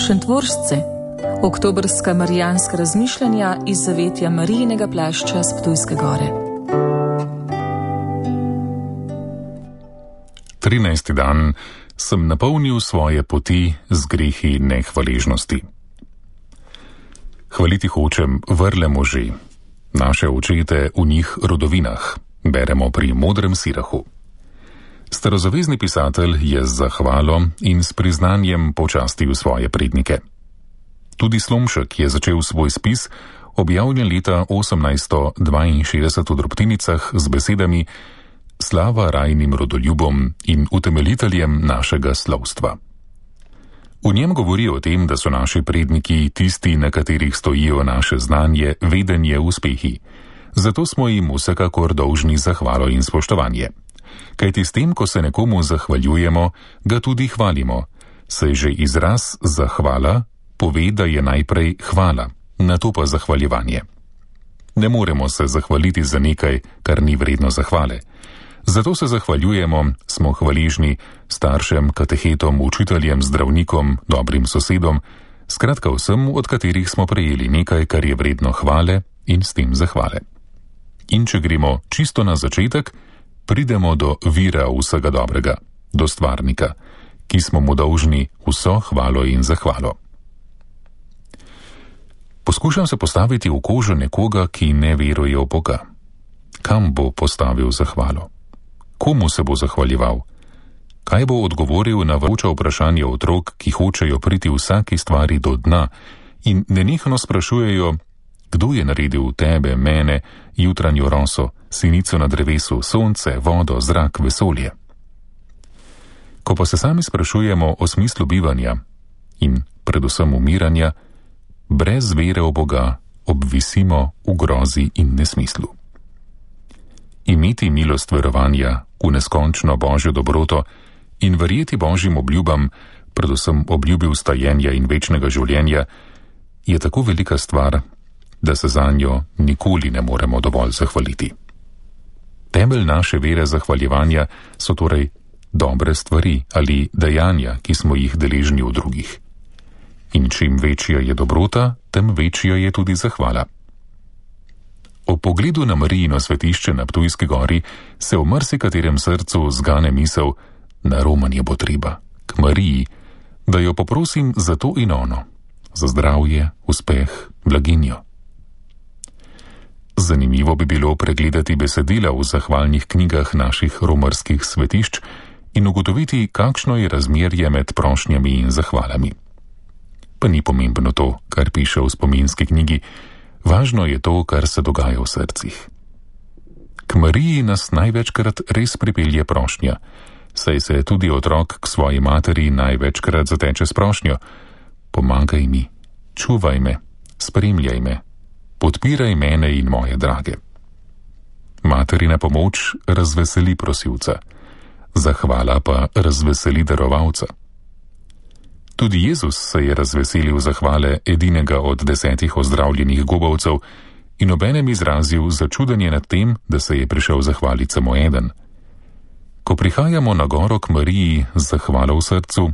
Šentvoržce, oktobrska marijanska razmišljanja iz zavetja Marijinega plašča s Ptujske gore. 13. dan sem napolnil svoje poti z grehi nehvaležnosti. Hvaliti hočem vrle može, naše očete v njih rodovinah, beremo pri Modrem Sirahu. Starozavezni pisatelj je z zahvalo in s priznanjem počastil svoje prednike. Tudi Slomšek je začel svoj spis, objavljen leta 1862 v drobtinicah z besedami Slava rajnim rodoljubom in utemeljiteljem našega slovstva. V njem govori o tem, da so naši predniki tisti, na katerih stojijo naše znanje, vedenje, uspehi. Zato smo jim vsekakor dolžni zahvalo in spoštovanje. Kajti s tem, ko se nekomu zahvaljujemo, ga tudi hvalimo, saj že izraz zahvala pove, da je najprej hvala, nato pa zahvaljevanje. Ne moremo se zahvaliti za nekaj, kar ni vredno zahvale. Zato se zahvaljujemo, smo hvaležni staršem, katehetom, učiteljem, zdravnikom, dobrim sosedom, skratka vsem, od katerih smo prejeli nekaj, kar je vredno hvale in s tem zahvale. In če gremo čisto na začetek, pridemo do vira vsega dobrega, do stvarnika, ki smo mu dolžni vso hvalo in zahvalo. Poskušam se postaviti v kožo nekoga, ki ne veruje v Boga. Kam bo postavil zahvalo? Komu se bo zahvaljeval? Kaj bo odgovoril na vroča vprašanja otrok, ki hočejo priti vsaki stvari do dna in nenehno sprašujejo, kdo je naredil tebe, mene, jutranjo roso, sinico na drevesu, sonce, vodo, zrak, vesolje? Ko pa se sami sprašujemo o smislu bivanja in predvsem umiranja, brez vere v Boga obvisimo v grozi in nesmislu. Imeti milost verovanja v neskončno Božjo dobroto in verjeti Božjim obljubam, predvsem obljubi vstajenja in večnega življenja, je tako velika stvar, da se zanjo nikoli ne moremo dovolj zahvaliti. Temelj naše vere zahvaljevanja so torej dobre stvari ali dejanja, ki smo jih deležni v drugih. In čim večja je dobrota, tem večja je tudi zahvala. Ob pogledu na Marijino svetišče na Ptujski gori se v marsikaterem srcu zgane misel, na romanje bo treba, k Mariji, da jo poprosim za to in ono, za zdravje, uspeh, blaginjo. Zanimivo bi bilo pregledati besedila v zahvalnih knjigah naših romarskih svetišč in ugotoviti, kakšno je razmerje med prošnjami in zahvalami. Pa ni pomembno to, kar piše v spominski knjigi, važno je to, kar se dogaja v srcih. K Mariji nas največkrat res pripelje prošnja, saj se tudi otrok k svoji materi največkrat zateče s prošnjo: pomagaj mi, čuvaj me, spremljaj me, podpiraj mene in moje drage. Materina pomoč razveseli prosilca, zahvala pa razveseli darovalca. Tudi Jezus se je razveselil zahvale edinega od 10 ozdravljenih gobavcev in obenem izrazil začudenje nad tem, da se je prišel zahvaliti samo eden. Ko prihajamo na goro k Mariji z zahvalo v srcu,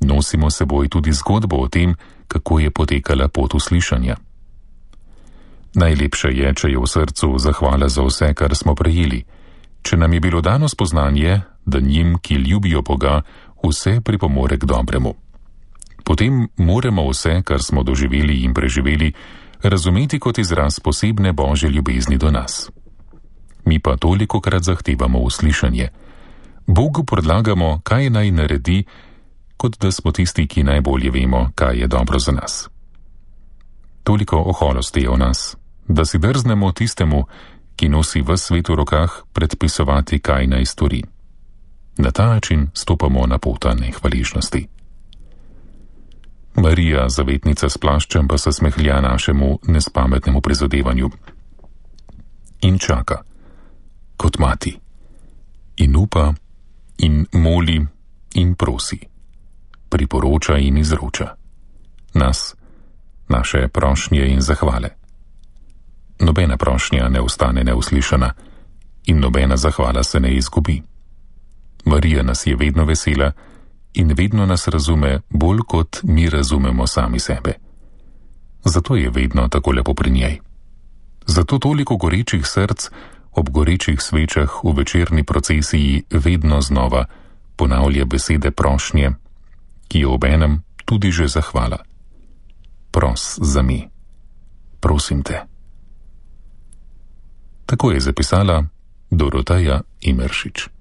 nosimo seboj tudi zgodbo o tem, kako je potekala pot uslišanja. Najlepše je, če je v srcu zahvala za vse, kar smo prejeli, če nam je bilo dano spoznanje, da njim, ki ljubijo Boga, vse pripomore k dobremu. Potem moramo vse, kar smo doživeli in preživeli, razumeti kot izraz posebne Božje ljubezni do nas. Mi pa tolikokrat zahtevamo uslišanje. Bogu predlagamo, kaj naj naredi, kot da smo tisti, ki najbolje vemo, kaj je dobro za nas. Toliko oholosti je v nas, da si drznemo tistemu, ki nosi ves svet v rokah, predpisovati, kaj naj stori. Na ta način stopamo na pot nehvaležnosti. Marija, zavetnica s plaščem, pa se smehlja našemu nespametnemu prizadevanju. In čaka, kot mati, in upa, in moli, in prosi, priporoča in izroča nas, naše prošnje in zahvale. Nobena prošnja ne ostane neuslišana in nobena zahvala se ne izgubi. Marija nas je vedno vesela in vedno nas razume bolj, kot mi razumemo sami sebe. Zato je vedno tako lepo pri njej. Zato toliko gorečih src ob gorečih svečah v večerni procesiji vedno znova ponavlja besede prošnje, ki je obenem tudi že zahvala. Pros za mi. Prosim te. Tako je zapisala Doroteja Imeršič.